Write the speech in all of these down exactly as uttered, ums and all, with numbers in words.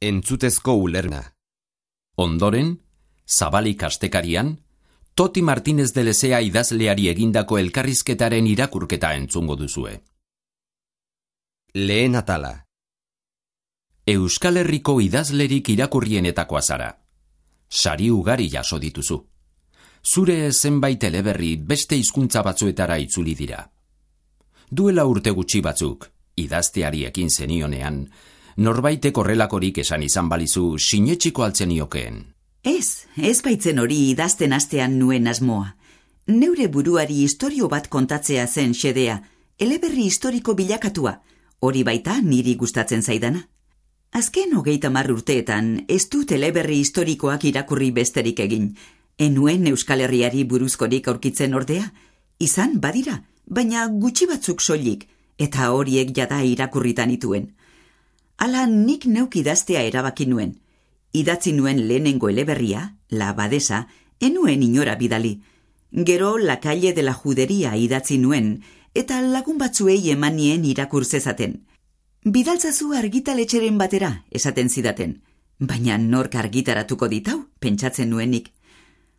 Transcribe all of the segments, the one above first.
Entzutezko ulerna. Ondoren, Zabalik astekarian, Toti Martínez de Lezea idazleari egindako elkarrizketaren irakurketa entzungo duzue. Lehen atala. Euskal Herriko idazlerik irakurrienetakoa zara. Sari ugari jaso dituzu. Zure zenbait eleberri beste hizkuntza batzuetara itzuli dira. Duela urte gutxi batzuk, idazteari ekin zenionean, norbaitek horrelakorik esan izan balizu sinetxiko altzeniokeen. Ez, ez baitzen hori idazten astean nuen asmoa. Neure buruari istorio bat kontatzea zen xedea, eleberri historiko bilakatua, hori baita niri gustatzen zaidana. Azken hogeita hamar urteetan ez dut eleberri historikoak irakurri besterik egin. Enuen Euskal Herriari buruzkorik aurkitzen ordea, izan badira, baina gutxi batzuk soilik, eta horiek jada irakurritan ituen. Hala nik neuk idaztea erabaki nuen. Idatzi nuen lehenengo eleberria, La Abadesa, enuen inora bidali. Gero La Calle de la Juderia idatzi nuen, eta lagun batzuei eman nien irakur zezaten. Bidaltzazu argitaletxeren batera, esaten zidaten. Baina nork argitaratuko ditau, pentsatzen nuenik.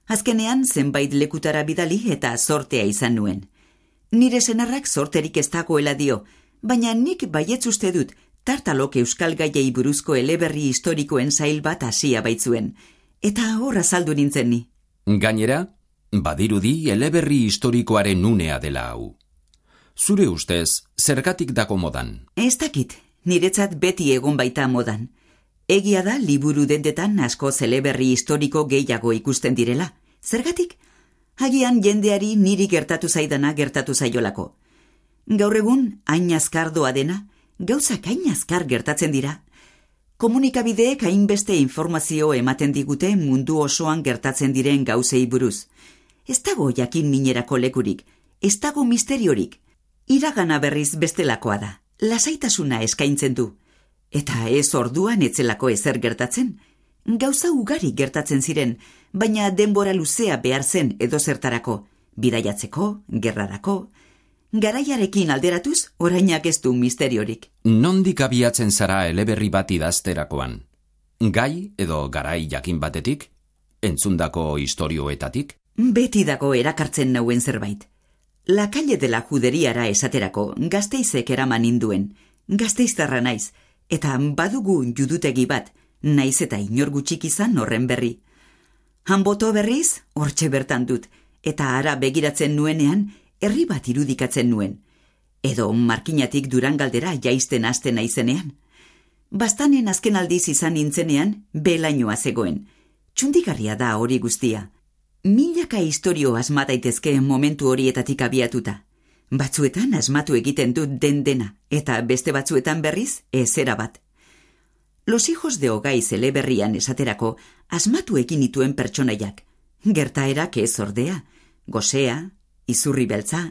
Azkenean zenbait lekutara bidali eta sortea izan nuen. Nire senarrak sorterik ez dagoela dio, baina nik baietz uste dut, tartalok euskal gaiei buruzko eleberri historikoen zail bat hasia baitzuen. Eta hor azaldu nintzen ni. Gainera, badirudi eleberri historikoaren unea dela hau. Zure ustez, zergatik dako modan? Ez dakit, niretzat beti egon baita modan. Egia da liburu dendetan asko eleberri historiko gehiago ikusten direla. Zergatik? Agian jendeari niri gertatu zaidana gertatu zaiolako. Gaur egun, hain azkardoa dena, gauzak hain azkar gertatzen dira. Komunikabideek hainbeste informazio ematen digute mundu osoan gertatzen diren gauzei buruz. Ez dago jakin minerako lekurik, ez dago misteriorik. Iragana berriz bestelakoa da, lasaitasuna eskaintzen du. Eta ez orduan etzelako ezer gertatzen. Gauza ugari gertatzen ziren, baina denbora luzea behar zen edozertarako, bidaiatzeko, gerrarako. Garaiarekin alderatuz, orainak ez du misteriorik. Nondik abiatzen zara eleberri bat idazterakoan? Gai edo garai jakin batetik? Entzundako istorioetatik? Beti dago erakartzen nauen zerbait. La Calle de la Juderiara esaterako Gasteizek eraman induen. Gasteiztarra naiz, eta badugu judutegi bat, naiz eta inor gutxik izan horren berri. Hanboto berriz, hortxe bertan dut, eta ara begiratzen nuenean, herri bat irudikatzen nuen. Edo Markinatik Durangaldera jaisten hasten naizenean. Bastanen azken aldiz izan nintzenean, belainoa zegoen. Txundigarria da hori guztia. Milaka istorio asma daitezke momentu horietatik abiatuta. Batzuetan asmatu egiten dut den dena, eta beste batzuetan berriz ezera bat. Los hijos de Ogaiz eleberrian esaterako asmatu egin nituen pertsonaiak. Gertaerak ez ordea, gosea, izurri beltza.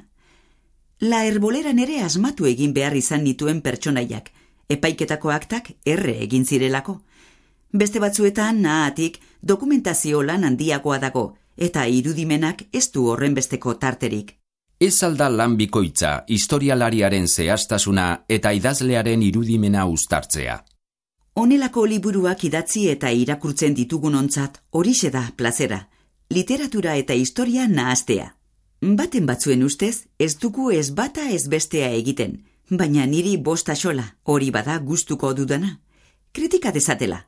La Herboleran ere asmatu egin behar izan nituen pertsonaiak, epaiketako aktak erre egin zirelako. Beste batzuetan nahatik dokumentazio lan handiagoa dago, eta irudimenak ez du horrenbesteko tarterik. Ez alda lan bikoitza, historialariaren zehaztasuna eta idazlearen irudimena uztartzea. Honelako liburuak idatzi eta irakurtzen ditugunontzat horixe da plazera, literatura eta historia nahastea. Baten batzuen ustez, ez dugu ez bata ez bestea egiten, baina niri bosta xola, hori bada gustuko dudana. Kritika dezatela.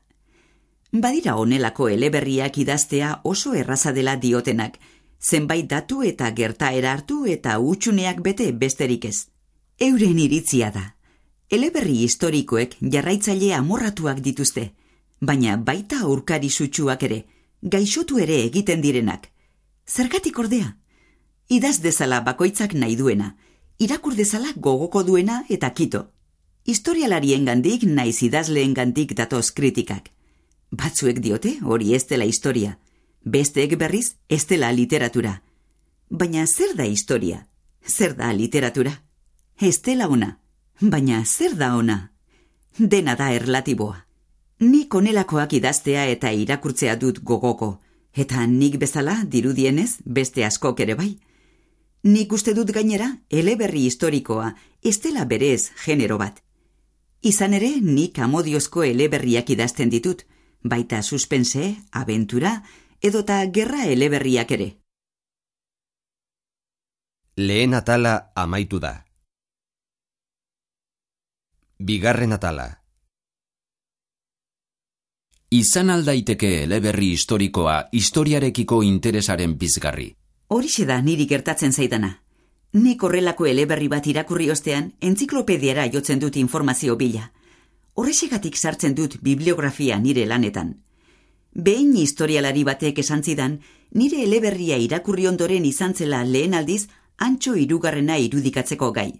Badira honelako eleberriak idaztea oso erraza dela diotenak, zenbait datu eta gertaera hartu eta utxuneak bete besterik ez. Euren iritzia da. Eleberri historikoek jarraitzaile amorratuak dituzte, baina baita aurkari sutsuak ere, gaixotu ere egiten direnak. Zergatik ordea? Idaz dezala bakoitzak nahi duena, irakur dezala gogoko duena eta kito. Historialariengandik naiz idazleengandik datoz kritikak. Batzuek diote hori ez dela historia, besteek berriz ez dela literatura. Baina zer da historia? Zer da literatura? Ez dela ona, baina zer da ona? Dena da erlatiboa. Nik honelakoak idaztea eta irakurtzea dut gogoko, eta nik bezala dirudienez beste askok ere bai. Nik uste dut gainera eleberri historikoa ez dela berez genero bat. Izan ere, nik amodiozko eleberriak idazten ditut, baita suspense, abentura, edota gerra eleberriak ere. Lehen atala amaitu da. Bigarren atala. Izan aldaiteke eleberri historikoa historiarekiko interesaren pizgarri. Horixe da niri gertatzen zaidana. Nik horrelako eleberri bat irakurri ostean, entziklopediara jotzen dut informazio bila. Horrexegatik sartzen dut bibliografia nire lanetan. Behin historialari batek esan zidan, nire eleberria irakurri ondoren izan zela lehen aldiz, antxo hirugarrena irudikatzeko gai.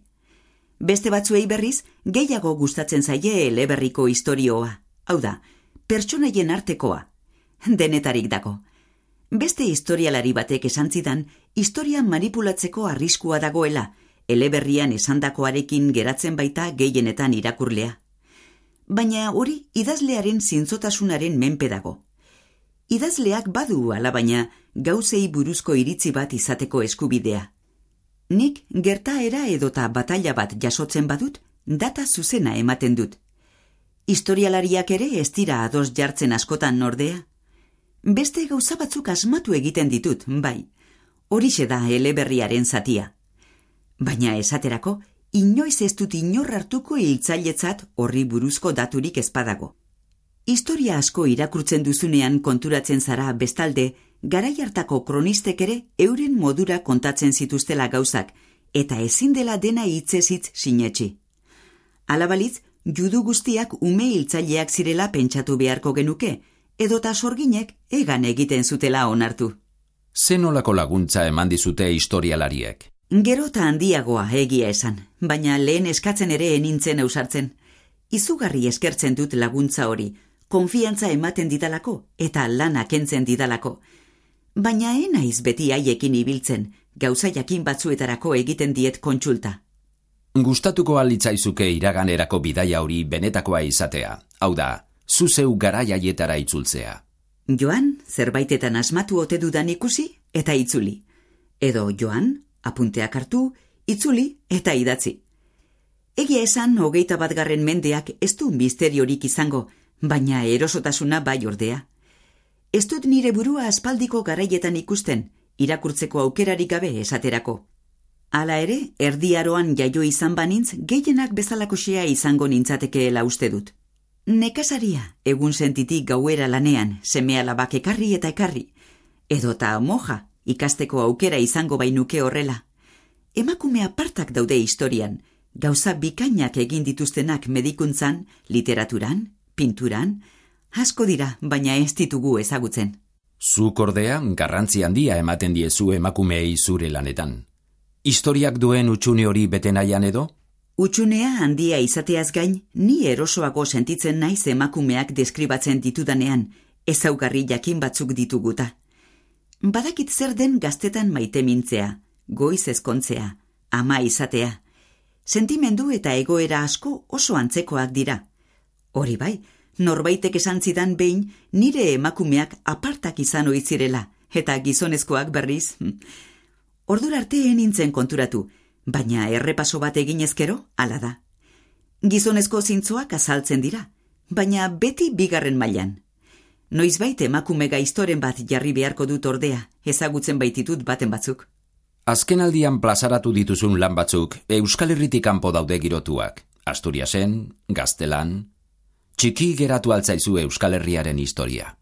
Beste batzuei berriz, gehiago gustatzen zaie eleberriko istorioa. Hau da, pertsonaien artekoa. Denetarik dago. Beste historialari batek esan zidan, historia manipulatzeko arriskua dagoela, eleberrian esandakoarekin geratzen baita gehienetan irakurlea. Baina hori idazlearen zintzotasunaren menpe dago. Idazleak badu alabaina gauzei buruzko iritzi bat izateko eskubidea. Nik gertaera edota batalla bat jasotzen badut, data zuzena ematen dut. Historialariak ere ez dira ados jartzen askotan ordea. Beste gauza batzuk asmatu egiten ditut, bai. Horixe da eleberriaren zatia. Baina esaterako, inoiz ez dut inor hartuko hiltzailetzat horri buruzko daturik ezpadago. Historia asko irakurtzen duzunean konturatzen zara bestalde, garai hartako kronistek ere euren modura kontatzen zituztela gauzak, eta ezin dela dena hitzez hitz sinetsi. Alabalitz, judu guztiak ume hiltzaileak zirela pentsatu beharko genuke, edota sorginek egan egiten zutela onartu. Zenolako laguntza eman dizute historialariek? Gero eta handiagoa egia esan, baina lehen eskatzen ere enintzen ausartzen. Izugarri eskertzen dut laguntza hori, konfiantza ematen didalako eta lana kentzen didalako. Baina enaiz beti haiekin ibiltzen, gauza jakin batzuetarako egiten diet kontsulta. Gustatuko alitzaizuke iraganerako bidaia hori benetakoa izatea, hau da, zuzeu garaiaietara itzultzea. Joan, zerbaitetan asmatu ote dudan ikusi eta itzuli. Edo joan, apunteak hartu, itzuli eta idatzi. Egia esan, hogeita batgarren mendeak ez du misteriorik izango, baina erosotasuna bai ordea. Ez dut nire burua aspaldiko garaietan ikusten, irakurtzeko aukerarik gabe esaterako. Hala ere, erdiaroan jaio izan banintz, gehienak bezalakoxea izango nintzatekeela uste dut. Nekasaria, egun sentitik gauera lanean, seme alabak ekarri eta ekarri. Edota moja, ikasteko aukera izango bainuke horrela. Emakume apartak daude historian, gauza bikainak egin dituztenak medikuntzan, literaturan, pinturan, asko dira, baina ez ditugu ezagutzen. Zuk ordea, garrantzi handia ematen diezu emakumeei zure lanetan. Historiak duen utxune hori bete nahian edo? Utxunea handia izateaz gain, ni erosoago sentitzen naiz emakumeak deskribatzen ditudanean, ezaugarri jakin batzuk dituguta. Badakit zer den gaztetan maite mintzea, goiz ezkontzea, ama izatea. Sentimendu eta egoera asko oso antzekoak dira. Hori bai, norbaitek esan zidan behin nire emakumeak apartak izan oitzirela, eta gizonezkoak berriz. Ordura arte nintzen konturatu, baina errepaso bat eginezkero, hala da. Gizonezko zintzoak azaltzen dira, baina beti bigarren mailan. Noizbait emakume gaiztoren bat jarri beharko dut ordea, ezagutzen baititut baten batzuk. Azkenaldian plazaratu dituzun lan batzuk Euskal Herritik kanpo daude girotuak. Asturiasen, Gaztelan, txiki geratu altzaizu Euskal Herriaren historia.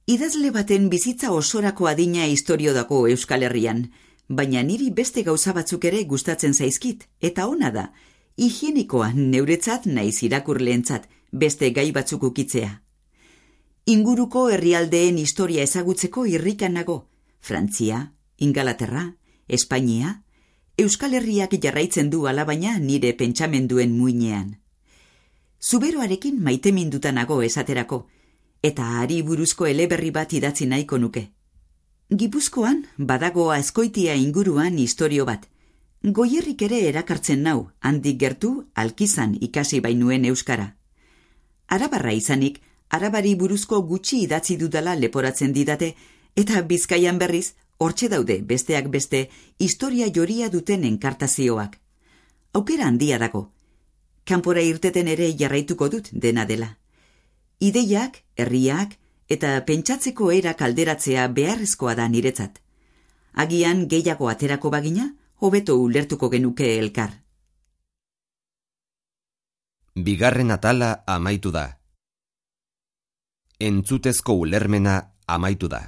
Idazle baten bizitza osorako adina historio dago Euskal Herrian, baina niri beste gauza batzuk ere gustatzen zaizkit, eta ona da, higienikoa neuretzat naiz irakurleentzat beste gai batzuk ukitzea. Inguruko herrialdeen historia ezagutzeko irrikan nago, Frantzia, Ingalaterra, Espainia, Euskal Herriak jarraitzen du alabaina nire pentsamenduen muinean. Zuberoarekin maiteminduta nago esaterako, eta hari buruzko eleberri bat idatzi nahiko nuke. Gipuzkoan, badago Azkoitia inguruan istorio bat. Goierrik ere erakartzen nau, handik gertu, Alkizan ikasi bainuen euskara. Arabarra izanik, arabari buruzko gutxi idatzi dudala leporatzen didate, eta Bizkaian berriz, hortxe daude besteak beste, historia joria duten enkartazioak. Aukera handia dago. Kanpora irteten ere jarraituko dut dena dela. Ideiak, herriak eta pentsatzeko era kalderatzea beharrezkoa da niretzat. Agian gehiago aterako bagina, hobeto ulertuko genuke elkar. Bigarren atala amaitu da. Entzutezko ulermena amaitu da.